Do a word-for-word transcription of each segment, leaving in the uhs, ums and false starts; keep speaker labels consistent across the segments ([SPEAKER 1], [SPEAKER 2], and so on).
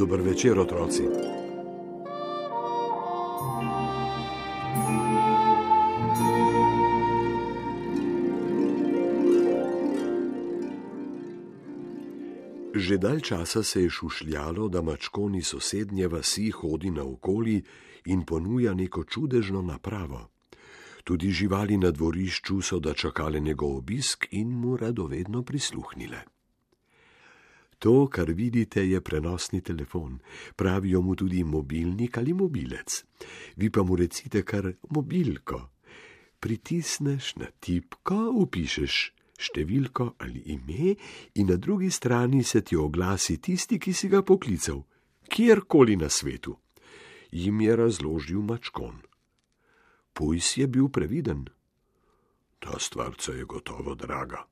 [SPEAKER 1] Dober večer, otroci. Že dalj časa se je šušljalo, da mačkon iz sosednje vasi hodi naokoli in ponuja neko čudežno napravo. Tudi živali na dvorišču so dočakale njegov obisk in mu radovedno prisluhnile. To, kar vidite, je prenosni telefon. Pravijo mu tudi mobilnik ali mobilec. Vi pa mu recite kar mobilko. Pritisneš na tipko, vpišeš številko ali ime in na drugi strani se ti oglasi tisti, ki si ga poklical, kjerkoli na svetu. Jim je razložil mačkon. Pujs je bil previden. Ta stvarca je gotovo draga.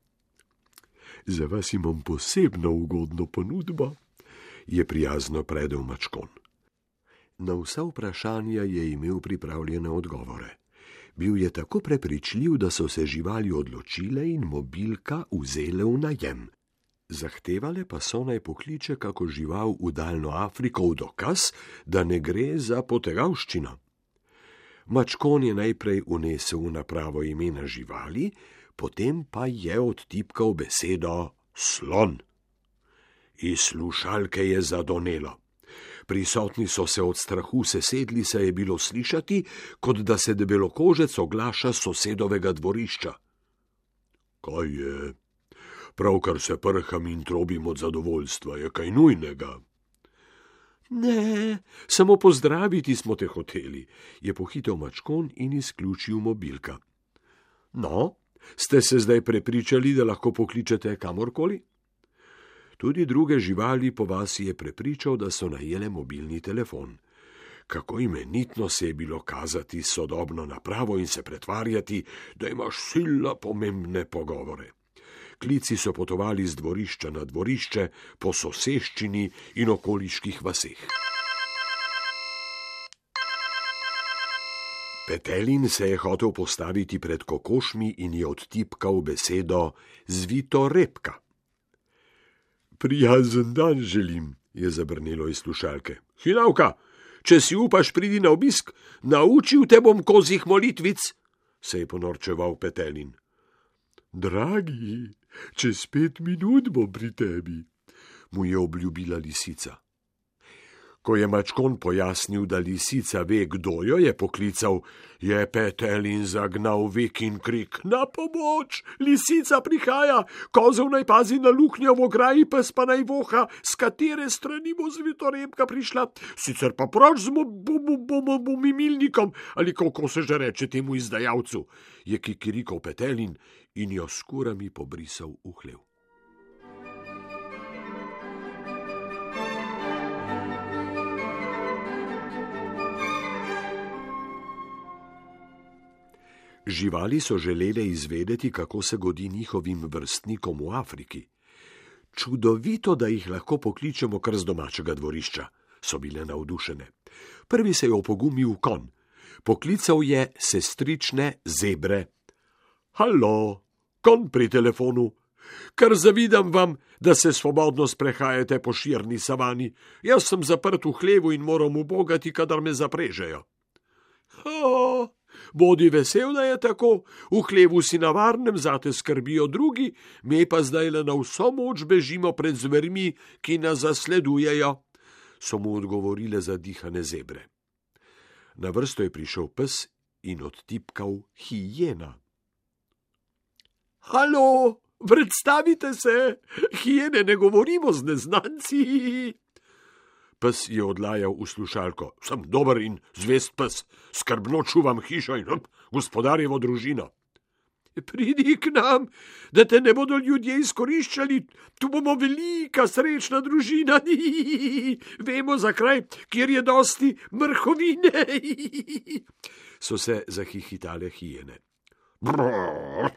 [SPEAKER 1] Za vas imam posebno ugodno ponudbo, je prijazno predel mačkon. Na vsa vprašanja je imel pripravljene odgovore. Bil je tako prepričljiv, da so se živali odločile in mobilka vzele v najem. Zahtevale pa so naj pokliče kako žival v daljno Afriko v dokaz, da ne gre za potegavščino. Mačkon je najprej unesel v napravo imena živali, potem pa je odtipkal besedo slon. Iz slušalke je zadonelo. Prisotni so se od strahu sesedli, se je bilo slišati, kot da se debelokožec oglaša s sosedovega dvorišča. Kaj je? Pravkar se prham in trobim od zadovoljstva, je kaj nujnega? Ne, samo pozdraviti smo te hoteli, je pohitel mačkon in izključil mobilka. No, ste se zdaj prepričali, da lahko pokličete kamorkoli? Tudi druge živali po vasi je prepričal, da so najele mobilni telefon. Kako imenitno se je bilo kazati sodobno napravo in se pretvarjati, da imaš sila pomembne pogovore. Klici so potovali z dvorišča na dvorišče, po soseščini in okoliških vaseh. Petelin se je hotel postaviti pred kokošmi in je odtipkal besedo zvito repka. Prijazen dan želim, je zabrnelo iz slušalke. Hinavka, če si upaš pridi na obisk, naučil te bom kozjih molitvic, se je ponorčeval Petelin. Dragi, čez pet minut bom pri tebi, mu je obljubila lisica. Ko je mačkon pojasnil, da lisica ve, kdo jo je poklical, je Petelin zagnal vik in krik. Na pomoč, lisica prihaja, kozel naj pazi na luknjo v ograji, pes pa naj voha, s katere strani bo zvitorepka prišla, sicer pa proč z mimilnikom, ali kako se že reče temu izdajalcu, je kikirikal Petelin in jo s kurami pobrisal v hlev. Živali so želele izvedeti, kako se godi njihovim vrstnikom v Afriki. Čudovito, da jih lahko pokličemo kar z domačega dvorišča, so bile navdušene. Prvi se je opogumil konj. Poklical je sestrične zebre. Halo, konj pri telefonu. Kar zavidam vam, da se svobodno sprehajate po širni savani. Jaz sem zaprt v hlevu in moram ubogati, kadar me zaprežejo. Oh, bodi vesel, da je tako, v hlevu si na varnem, zate skrbijo drugi, me pa zdaj le na vso moč bežimo pred zvermi, ki nas zasledujejo, so mu odgovorile zadihane zebre. Na vrsto je prišel pes in odtipkal hijena. Halo, predstavite se, hijene ne govorimo z neznanci. Pes je odlajal v slušalko. Sem dober in zvest pes, skrbno čuvam hišo in hm, gospodarjevo družino. Pridi k nam, da te ne bodo ljudje izkoriščali, tu bomo velika srečna družina. Vemo za kraj, kjer je dosti mrhovine. So se zahihitale hijene. Brrr,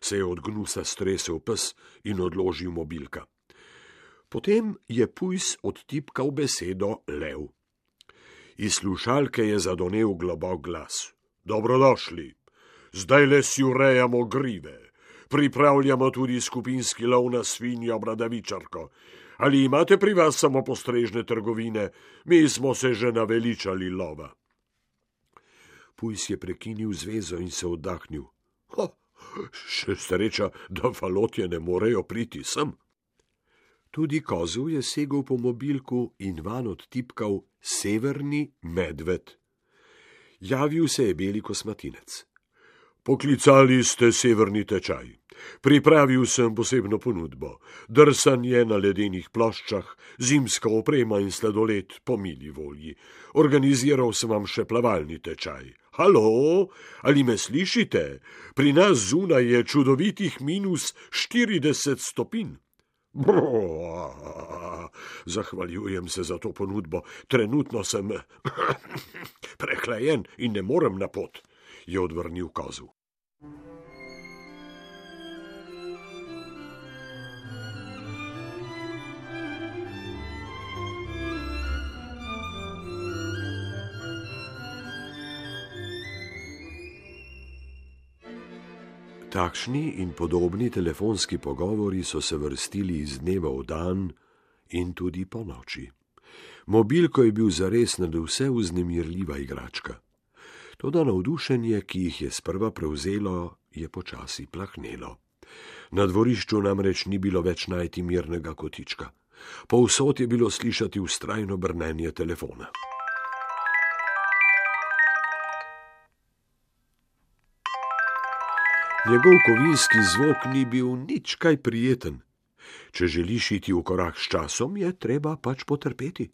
[SPEAKER 1] se je od gnusa stresel pes in odložil mobilka. Potem je pujs odtipkal besedo lev. Iz slušalke je zadonel globok glas. Dobrodošli, zdaj le si urejamo grive. Pripravljamo tudi skupinski lov na svinjo bradavičarko. Ali imate pri vas samo postrežne trgovine? Mi smo se že naveličali lova. Pujs je prekinil zvezo in se oddahnil. Ha, še sreča, da falotje ne morejo priti sem. Tudi kozel je segel po mobilku in van odtipkal Severni medved. Javil se je beli kosmatinec. Poklicali ste severni tečaj. Pripravil sem posebno ponudbo. Drsanje na ledenih ploščah, zimska oprema in sladoled po mili volji. Organiziral sem vam še plavalni tečaj. Halo, ali me slišite? Pri nas zunaj je čudovitih minus štirideset stopinj. Brrr, zahvaljujem se za to ponudbo. Trenutno sem prehlajen in ne morem na pot, je odvrnil kozel. Takšni in podobni telefonski pogovori so se vrstili iz dneva v dan in tudi po noči. Mobilko je bil zares nadvse vznemirljiva igračka. Toda navdušenje, ki jih je sprva prevzelo, je počasi plahnelo. Na dvorišču namreč ni bilo več najti mirnega kotička. Povsod je bilo slišati vztrajno brnenje telefona. Njegov kovinski zvok ni bil nič kaj prijeten. Če želiš iti v korak s časom, je treba pač potrpeti.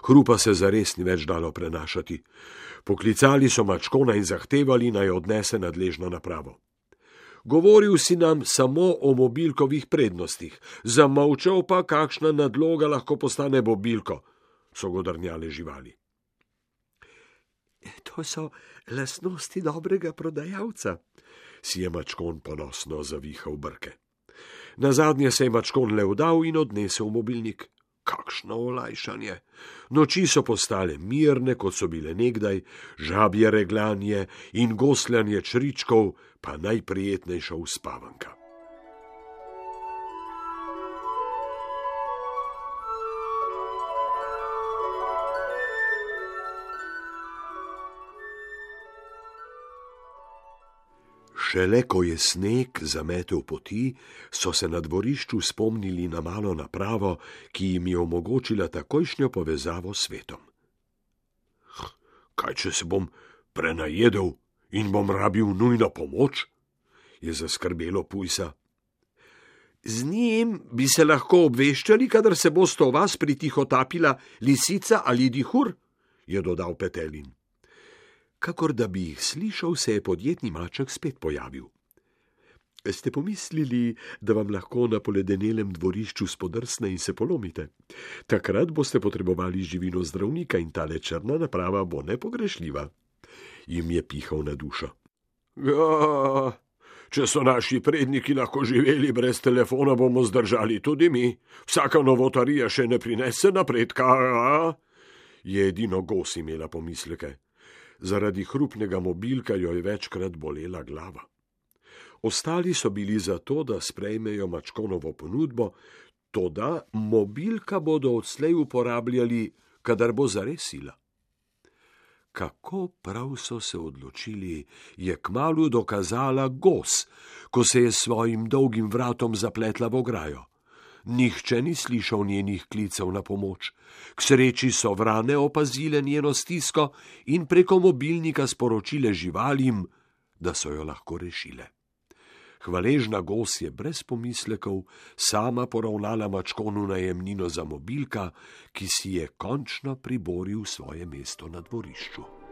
[SPEAKER 1] Hrupa se zares ni več dalo prenašati. Poklicali so mačkona in zahtevali, naj odnese nadležno napravo. Govoril si nam samo o mobilkovih prednostih, zamolčal pa, kakšna nadloga lahko postane mobilko, so godrnjale živali. To so lastnosti dobrega prodajalca, si je mačkon ponosno zavihal brke. Nazadnje se je mačkon le vdal in odnesel mobilnik. Kakšno olajšanje! Noči so postale mirne, kot so bile nekdaj, žabje reglanje in gosljanje čričkov, pa najprijetnejša uspavanka. Šele ko je sneg zametel poti, so se na dvorišču spomnili na malo napravo, ki jim je omogočila takojšnjo povezavo s svetom. Kaj, če se bom prenajedel in bom rabil nujno pomoč? Je zaskrbelo pujsa. Z njim bi se lahko obveščali, kadar se boste o vas pritihotapila lisica ali dihur, je dodal Petelin. Kakor da bi jih slišal, se je podjetni maček spet pojavil. Ste pomislili, da vam lahko na poledenelem dvorišču spodrsne in se polomite? Takrat boste potrebovali živino zdravnika in tale črna naprava bo nepogrešljiva. Jim je pihal na dušo. Ja, če so naši predniki lahko živeli brez telefona, bomo zdržali tudi mi. Vsaka novotarija še ne prinese napredka. Je edino gos imela pomisleke. Zaradi hrupnega mobilka jo je večkrat bolela glava. Ostali so bili za to, da sprejmejo mačkonovo ponudbo, toda mobilka bodo odslej uporabljali, kadar bo zares sila. Kako prav so se odločili, je kmalu dokazala gos, ko se je s svojim dolgim vratom zapletla v ograjo. Nihče ni slišal njenih klicev na pomoč. K sreči so vrane opazile njeno stisko in preko mobilnika sporočile živalim, da so jo lahko rešile. Hvaležna gos je brez pomislekov sama poravnala mačkonu najemnino za mobilka, ki si je končno priboril svoje mesto na dvorišču.